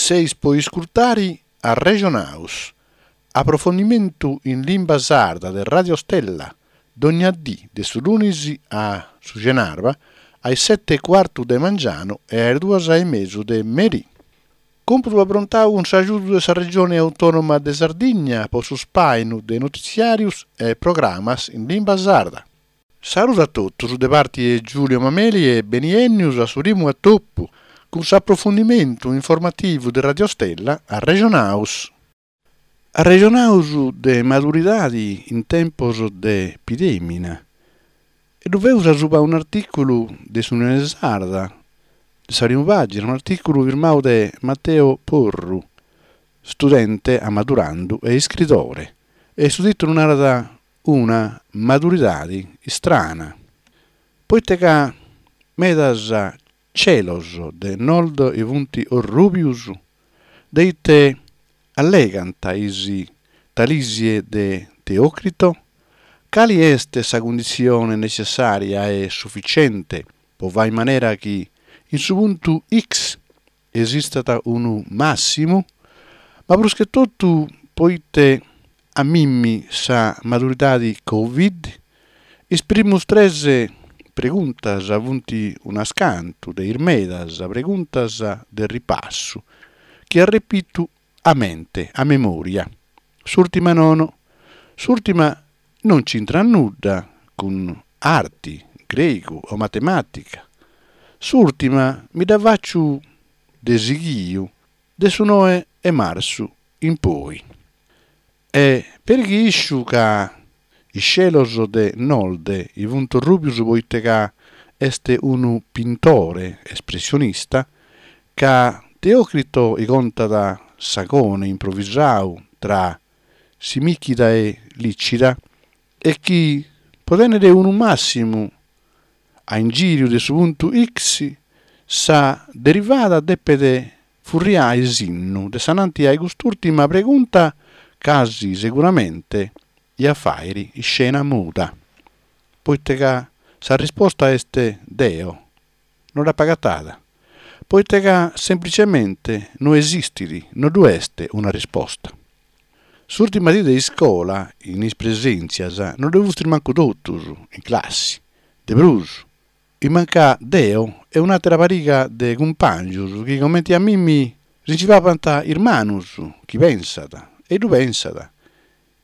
Seis po iscurtari Arrexonaus, aprofondimentu in limba sarda de Radio Stella, dogna dì de su lunis a su cenarba a is sete e cuartu de mangianu e a is duas e mesu de merì. Còmputu aprontau cun s'agiudu de sa Regioni Autònoma de Sardigna po su spàinu de notitziàrius e programas in limba sarda. Saludu a totus de parti 'e Giulio Mameli e beniènnius a su primu atopu cun s'aprofundimentu informativu de Radio Stella Arrexonaus. Arrexonaus de maduridadi in tempos de pidèmina e ddu feus asuba un'artìculu de s'Unione Sarda, de sa primu pàgina, un'artìculu firmau de Matteo Porru, studente ammadurandu e iscridore, e su tìtulu narat Una maduridadi istrana, poite ca medas celos de Nolde i funt orrùbius, de ite allegant is Talisie de Teocrito? Cali est sa cunditzione necessària e suficiente po fai in manera chi in su puntu X esistat unu màssimu, ma prus che totu poite a mimmi sa maduridadi Covid? Is primus tres preguntas funt unas cantu de is medas preguntas de ripassu chi arrepitu a mente, a memòria. S'ùrtima nono. S'ùrtima non nc'intrat nudda cun arti, gregu o matemàtica. S'ùrtima mi dda fàciu de sighiu de su noe 'e martzu in poi. E peri chi isciu ca is celos de Nolde i funt orrùbius poite ca est unu pintore espressionista, ca Teocrito i contat s'agone improvisau tra Simichida e Licida e chi po tènnere unu màssimu a ingìriu de su puntu X sa derivada depet furriai sinnu de s'ananti a cust'ùrtima pregunta casi seguramente ia a fàiri iscena muda, poite ca sa risposta est deo no dd'apo agatada, poite ca semplicemente no esistit, no ddu est una risposta. S'ùrtima die de iscola, in is presèntzias, no ddu fustis mancu totus, in classi. De prus, i mancà deo e un'àtera pariga de cumpàngios chi comente a mimmi si nci papant is manus, chi pensat, e ddu pensat,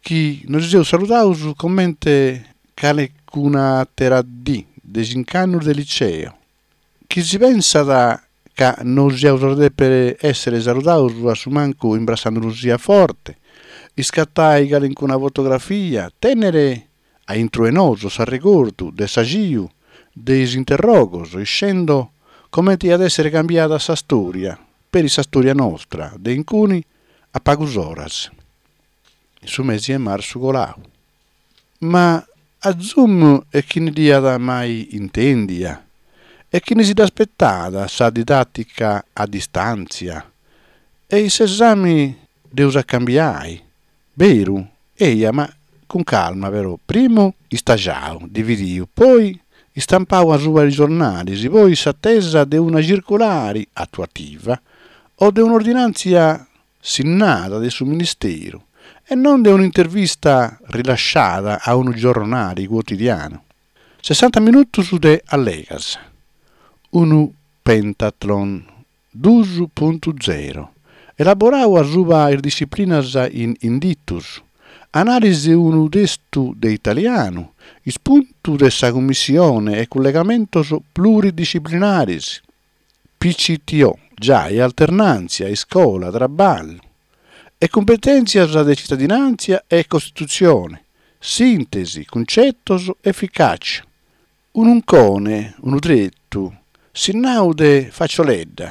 chi nos seus saludaus comente calecun'àtera dì de cinc'annus de liceo, chi si pensat ca nos iaus a dèpere èssere saludaus a su mancu imbrassanduru-sì a forte, iscatai calencuna fotografia, tènnere a intro 'e nosu s'arregordu de s'axiu de is interrogos, iscendo comente iat èssere cambiada sa stòria, peri sa stòria nostra, de incuni a pagus oras. In su mesi 'e martzu colau. Ma a Zoom e chini dd'iat mai intèndia? E chini si dd'aspetat sa didàtica a distàntzia? E s'esami dd'eus a cambiai? Beru? Eja, ma cun calma però, primu istagiau, dividiu, poi istampau asuba is giornalis, poi s'atesa de una circulari atuativa o de un'ordinàntzia sinnada de su Ministeru e non de un'intervista rilasciada a unu giornali cuotidianu. Sessanta minutus de allegas. Unu pentathlon dus puntu zero, elaborau asuba is disciplinas in inditus, anàlisi de unu testu de italianu, ispuntu de sa cummissione e cullegamentos pluridisciplinaris. PCTO, giai alternàntzia, iscola, traballu e cumpetèntzias de citadinàntzia e costitutzione, sìntesi, cuncetos, eficàcia. Un'uncone, unu tretu, sinnau de facioledda,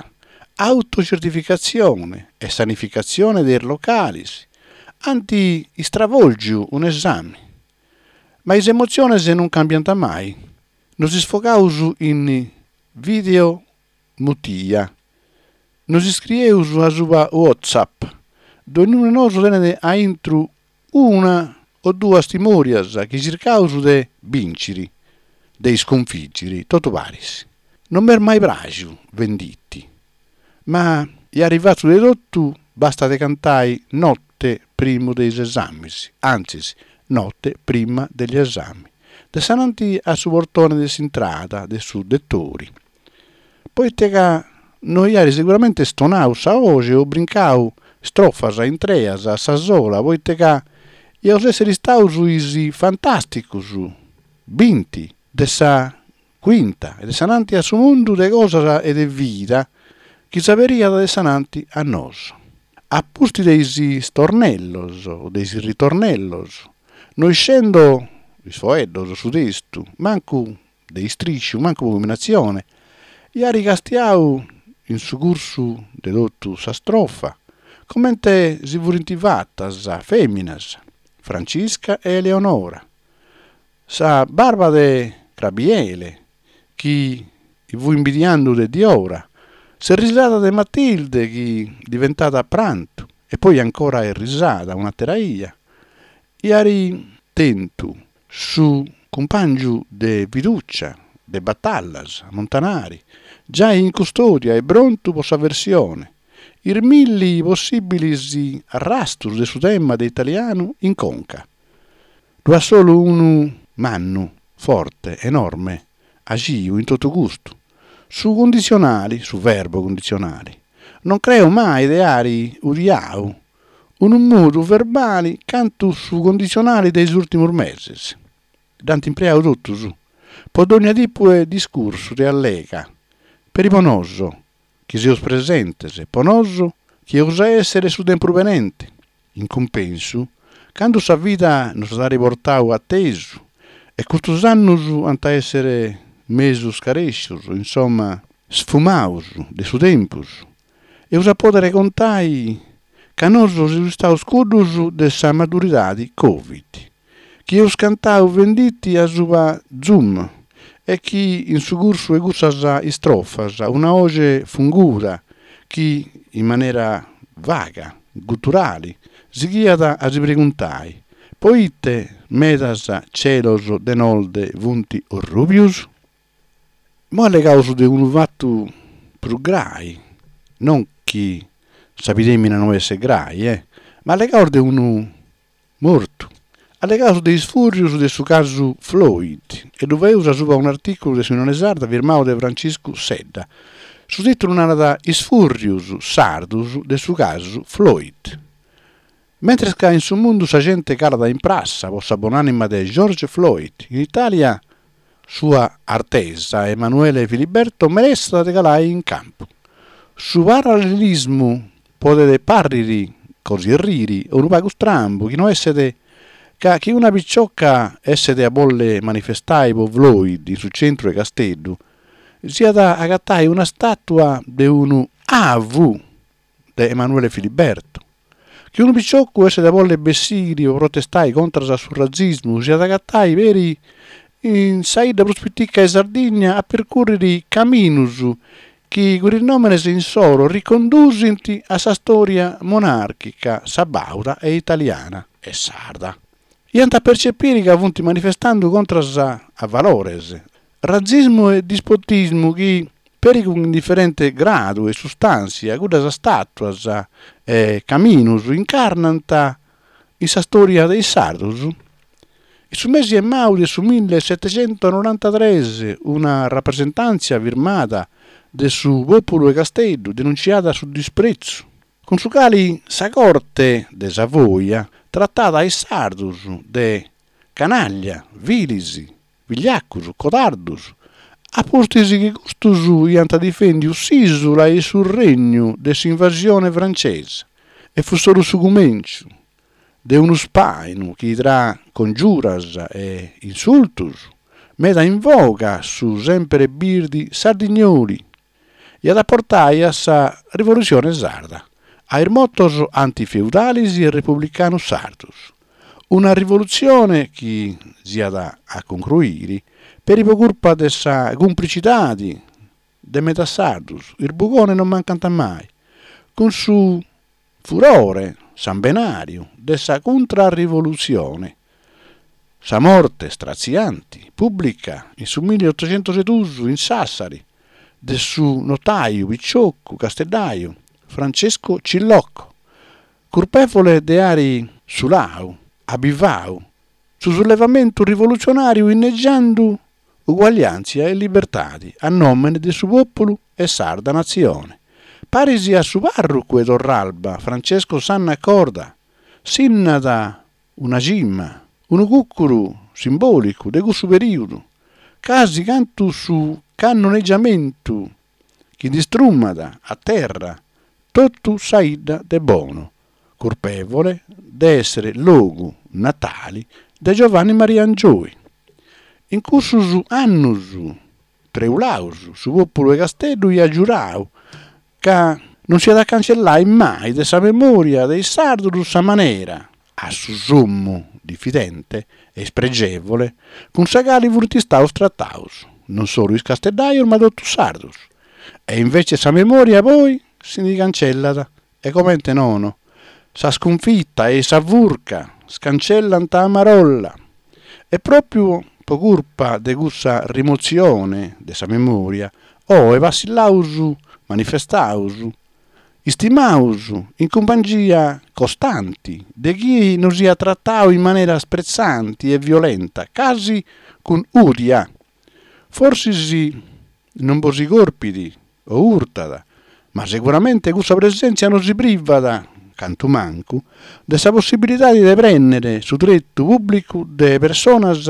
autocertificatzione e sanificatzione de is localis, ant istravòlgiu un'esami. Ma is emotziones non cambiant mai. Nos isfogaus in video mutia. Nos iscrieus asuba WhatsApp. Dognunu 'e nosu tenet a intru una o duas timòrias chi circaus de bìnciri, de isconfìgiri, totu paris. Non m'est mai pràxiu Venditti, ma. Iari fatu de totu basta de cantai notte primu de is esamis, antzis, notte prima degli esami, de sananti a su portone de s'intrada de su detori. Poite ca no iari seguramente stonau sa 'oxi o brincau strofas intreas a sa sola, poite ca iaus essiri istaus is fantasticus binti de sa cuinta e de sananti a su mundu de cosas e de vida chi s'aberiat de sananti a nosu. A pustis de is stornellos o de is ritornellos, no iscendo is foeddos, su testu, mancu de istrisciu, mancu po cumbinatzione, iari castiau in su cursu de totu sa strofa comente si furint fatas feminas, Francisca e Eleonora, Sa barba de Crabiele, chi fui imbidiandu de diora, s'errisada de Matilde chi diventat prantu e poi ancora errisada un'atera 'ia, iari tentu su cumpangiu de fiducia de batallas, Montanari, giai in custodia e prontu po sa versione, is milli possibilis arrastus de su tema de italianu in conca. Ddu at solu unu mannu, forte, enorme, axiu in totu custu, su cunditzionali, su verbo cunditzionali. Non creo mai de ari odiau unu modu verbali cantu su cunditzionali de is ùrtimus meses. Dd'ant impreau totus, po dònnia tipu 'e discursu de allega, peri po nosu, chi seus presentes, po nosu chi eus a èssere su tempus benente. In cumpensu, candu sa vida nos at ari portau atesu e custus annus ant a èssere mesu scarèscius, insoma sfumaus de su tempus, eus a pòdere contai ca nosu seus istaus cuddus de sa maduridadi Covid, chi eus cantau Venditti asuba Zoom e chi in su cursu 'e cussas istrofas una 'oxe funguda chi in manera vaga, guturali, sighiat a si preguntai, poite medas celos de nord funt orrubius? Imoi allegaus de unu fatu prus grai, non chi sa pidemina no esset grai, eh, ma allegaus de unu Mortu. Allegaus de is fùrrius de su casu Floyd e ddu faeus asuba un'artìculu de s'Unione Sarda firmau de Franciscu Sedda. Su tìtulu narat Is fùrrius sardus de su casu Floyd. Mentres ca in su mundu sa gente calat in prassa po sa bonànima de George Floyd, in Itàlia Sua Artesa Emanuele Filiberto meressat de calai in campu. Su parallelismu podet pàrriri così erriri o unu pagu strambu chi no esset ca chi una picioca esset a bolle manifestai po Floyd in su centru 'e Casteddu s'iat a agatai una stàtua de unu avu de Emanuele Filiberto. Chi unu piciocu esset a bolle bessiri po protestai contras a su ratzismu s'iat agatai peri in sa 'idda prus pitica 'e Sardigna a percurriri caminus chi cun is nòmenes insoro ricondusint a sa stòria monàrchica sabàuda e italiana e sarda. Iant a percepiri ca funt manifestandu contras a valores, Ratzismu e dispotismu chi, peri cun diferente gradu e sustàntzia, cuddas stàtuas e caminus incarnant in sa stòria de is sardus. In su mesi 'e mau de su millesetechentonorantatres una rapresentàntzia firmada de su pòpulu 'e Casteddu denuntziat su dispretzu cun su cali sa corte de Savoia tratat a is sardus de canàglia, vilis, vigliacus, codardus, a pustis chi custus iant difendiu s'ìsula e su regnu de s'invasione francesa, e fut solu su cumenciu de unu spàinu chi tra congiuras e insultus, meda in voga su sempere birdi sardignoli, iat a portai a sa rivolutzione sarda, a is motos antifeudalis e republicanus sardus. Una rivolutzione chi s'iat a concruiri peri po curpa de sa cumplicidadi de medas sardus, is bugones non mancant mai, cun su furore sambenàriu de sa cuntrarrivolutzione. Sa morte stratzianti, pùblica, in su milliotoxentoseduus in Sassari, de su notàiu piciocu casteddàiu. Francesco Cillocco, curpèvole de àere sulau, abivau, su sullevamentu rivolutzionàriu inneggiandu uguagliàntzia e libertade a nòmene de su pòpulu e sarda natzione. Paris a su pàrrocu 'e Torralba Francesco Sanna Corda, sinnat una cima, unu cùcuru simbòlicu de cussu perìodu, casi cantu su cannoneggiamentu chi nd'istrumat a terra totu sa 'idda de Bono, curpèvole de èssere logu natale de Giovanni Maria Angioy. In cussos annos treulaos su pòpulu 'e Casteddu iat giurau ca non s'iat a cancellai mai de sa memòria de is sardos sa manera, a su sommu difidente e ispregevole, cun sa cali funt istaos trataos, non solu is casteddajos ma totu is sardos. E invece sa memòria poi si ndi cancellat E comente nono? Sa scunfita e sa furca scancellant a marolla. E pròpiu pro curpa de cussa rimotzione de sa memòria, oe passillaus, manifestaus, istimaus in cumpangia costanti de chie nos iat tratau in manera spretzanti e violenta, casi cun ùdia. Forsis non bos si corpit o urtat, ma seguramente cussa presèntzia nos privat, cantu mancu, de sa possibilidade de prènnere su tretu pùblicu de personas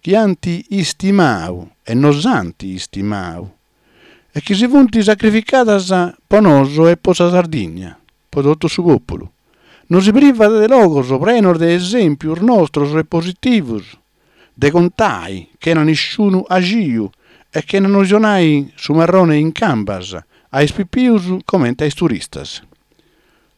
chi ant istimau e nos ant istimau e chi si funt sacrificadas po noso e po sa Sardigna, po totu su pòpulu. Nos privat de logos prenos de esèmpios nostros e positivos de contai chena nisciunu axiu e chena nos donai su marrone in cambas a is pipius comente a is turistas.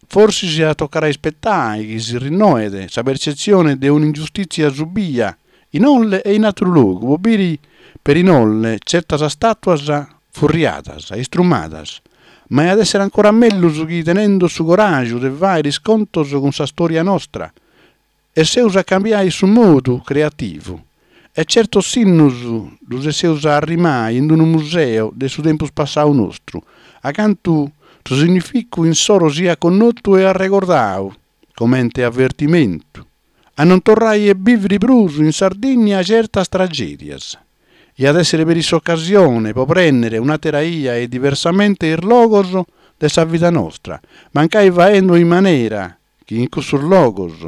Forsis at a toccare a ispetai chi si rinnoet sa percetzione de un'ingiustìtzia subia in Olle e in àteru logu po biri peri in Olle certas stàtuas furriadas, istrumadas, ma iat èssere ancora mellus chi tenendu su coràgiu de fàere is contos cun sa stòria nostra Esseus a cambiai su modu creativu e certos sinnus ddus esseus a arrimai in unu museu de su tempus passau nostru, acantu su significu insoro siat connotu e arregordau comente avertimentu a non torrai a bìviri prus in Sardigna certas tragèdias. Iat èssere peri s'ocasione po prènnere un'àtera 'ia e diversamente is logos de sa vida nostra, mancai faendu in manera chi in cussos logos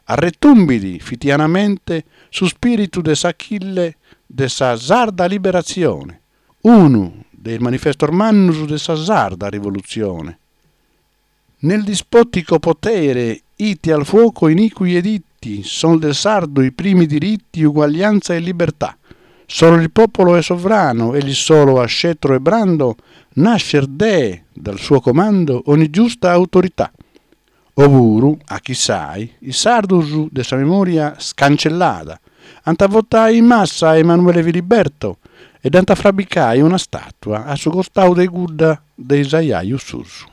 arretumbit fitianamente su spìritu de s'Achille de sa sarda liberatzione, unu de is manifestos mannus de sa sarda rivolutzione. Nel dispotico potere ite al fuoco iniqui editti, son del sardo i primi diritti uguaglianza e libertà. Solo il popolo è sovrano, egli solo ha scettro e brando, nascer dee dal suo comando ogni giusta autorità. Opuru, a chissai, is sardus de sa memoria scancellada ant a votai in massa a Emanuele Filiberto e dd'ant a frabicai una statua a su costau de cudda de is ajajus suus.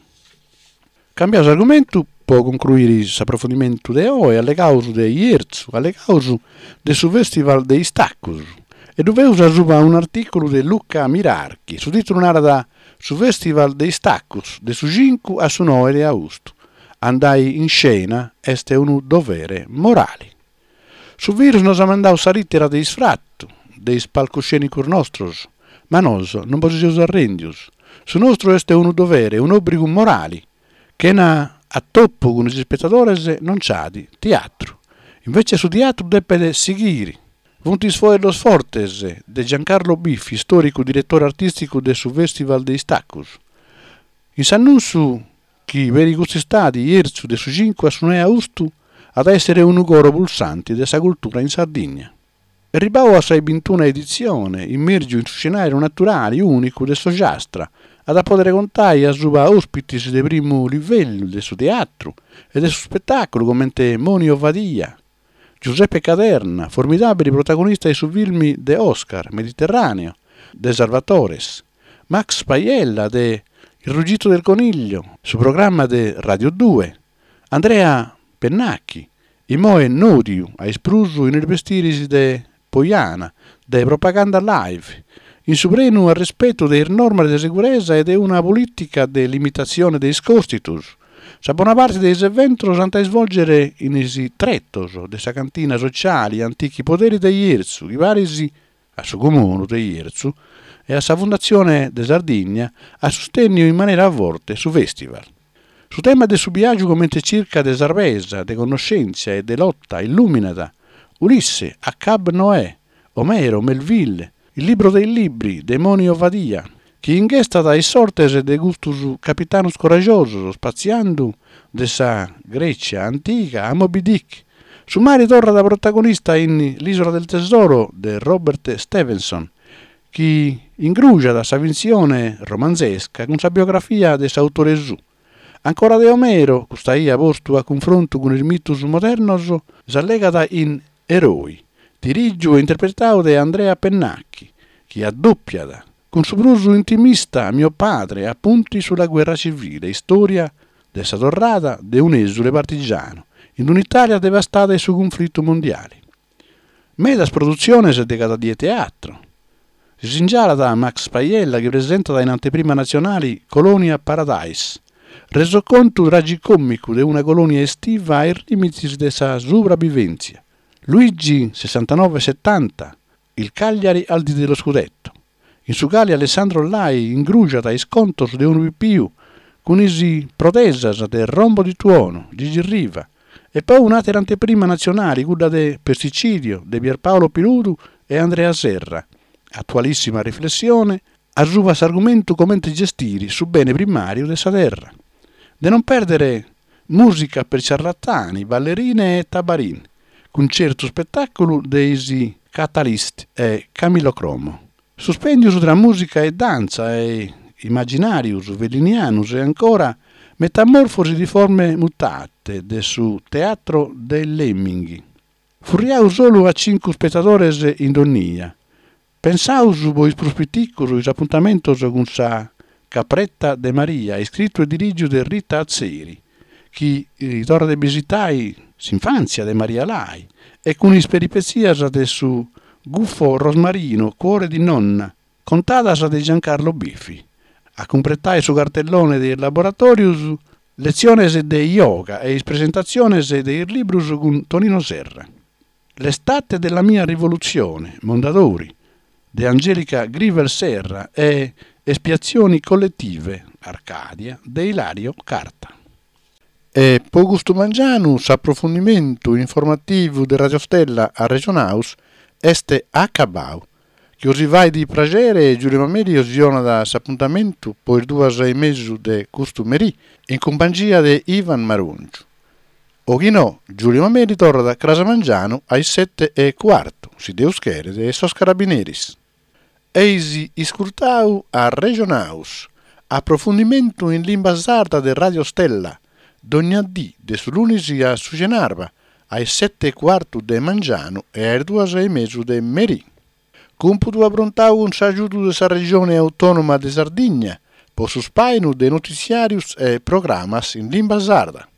Cambiaus argumentu po concruiri s'aprofundimentu de oe, allegaus de Jerzu, allegaus de su Festival de is Tacus e ddu feus asuba un'artìculu de Luca Mirarchi, su tìtulu narat Su Festival de is Tacus de su cincu a su noe de austu, andai in scena est unu dovere morali. Su virus nos at mandau sa lìtera de isfratu de is palcoscènicos nostros, ma noso non bos seus arrèndios. Su nostru est unu dovere, un'òbrigu morali. Chena atopu cun is ispetadores non nch'at teatru. Invece su teatru depet sighiri. Funt is foeddos fortes de Giancarlo Biffi, istòricu diretore artìsticu de su Festival de is Tacus. In s'annùntziu chi peri cust'istadi Jerzu de su cincu a su noe austu at a èssere unu coro pulsanti de sa cultura in Sardigna. Erribau a sa 'e bintuna editzione, immèrgiu in su scenàriu naturali ùnicu de s'Ogiastra, at a pòdere contai asuba òspitis de primu livellu de su teatru e de su spetàculu comente Moni Ovadia, Giuseppe Caderna, formidàbili protagonista 'e su filmi de Oscar, Mediterraneo, de Salvatores, Max Paiella de Il ruggito del coniglio, su programma de Radio Due, Andrea Pennacchi, immoe nodiu a is prus in is bestiris de Poiana, de Propaganda Live. in su prenu arrespetu de is normas de seguresa e de una polìtica de limitatzione de is còstitus. Sa bona parte de is eventos s'ant a isvòlgere in is tretos de sa cantina sociale Antichi Poderi de Jerzu, chi paris a su Comunu de Jerzu e a sa Fundatzione de Sardigna at sustènniu in manera forte su fèstival. Su tema de su biàgiu comente circa de sarbesa, de connoschèntzia e de lota illùminat Ulisse, Achab Noè, Omero, Melville, Il libro dei libri de Moni Ovadia, chi inghestat is sortes de custus capitanus coraggiosos spatziandu de sa Grècia antiga a Moby Dick. Su mari torrat protagonista in L'isola del tesoro de Robert Stevenson, chi ingruxat sa fintzione romanzesca cun sa biografia de s'autore suu. Ancora de Omero, custa 'ia postu a cunfrontu cun is mitus modernos, s'allegat in Eroi, dirìgiu e interpretau de Andrea Pennacchi, chi addòpiat cun su prus intimista Mio padre, appunti sulla guerra civile, istòria de sa torrada de un'èsule partigianu in un'Itàlia devastada 'e su cunflitu mondiale. Medas produtziones de cada die teatro. Si singialat Max Paiella chi presentat in anteprima natzionale Colonia Paradise, resocontu tragicòmicu de una colònia estiva a is lìmites de sa subrabivèntzia. Luigi sessantanove setanta, Il Cagliari al dì dello scudetto, in su cali Alessandro Lai ingruxat is contos de unu pipiu cun is protesas de Rombo di Tuono, Gigi Riva, e poi un'àtera anteprima natzionali, cudda de Pesticidio de Pierpaolo Piludu e Andrea Serra, atualìssima riflessione asuba s'argumentu comente gestiri su bene primàriu de sa terra. De non pèrdere Musica per ciarlatani, ballerine e tabarin, cuncertu spetàculu de is Catalyst e Camillo Cromo. Suspèndius tra mùsica e dantza e imaginàrius fellinianus e ancora Metamorfosi di forme mutate de su Teatro dei Lemming. Furriau solu a cincu spetadores in donnia. Pensaus po is prus piticus is apuntamentos cun sa Capretta de Maria, iscritu e dirìgiu de Rita Atzeri, chi torrat a bisitai s'infàntzia de Maria Lai e cun is peripetzias de su gufo Rosmarino, Cuore di nonna, contadas de Giancarlo Biffi. A cumpretai su cartellone de is laboratòrius, letziones de yoga e is presentatziones de is librus cun Tonino Serra. L'estate della mia rivoluzione, Mondadori, de Angelica Grivel Serra e Espiazioni collettive, Arcadia, de Ilario Carta. E po custu mangianu s'aprofundimentu informativu de Radio Stella Arrexonaus est acabau. Chi osi fait praxere Giulio Mameli osi donat s'apuntamentu po is duas e mesu de custu merì in cumpangia de Ivan Marongiu. O chi no, Giulio Mameli torrat cras mangianu a is sete e cuartu, si Deus cheret e sos carabineris. Eis iscurtau Arrexonaus, aprofundimentu in limba sarda de Radio Stella, dogna dì de su lunis a su cenarba, a is sete e cuartu de mangianu e a is duas e mesu de merì. Cumpudu aprontau cun s'agiudu de sa Regione Autònoma de Sardigna po su spàinu de notitziàrius e programas in limba sarda.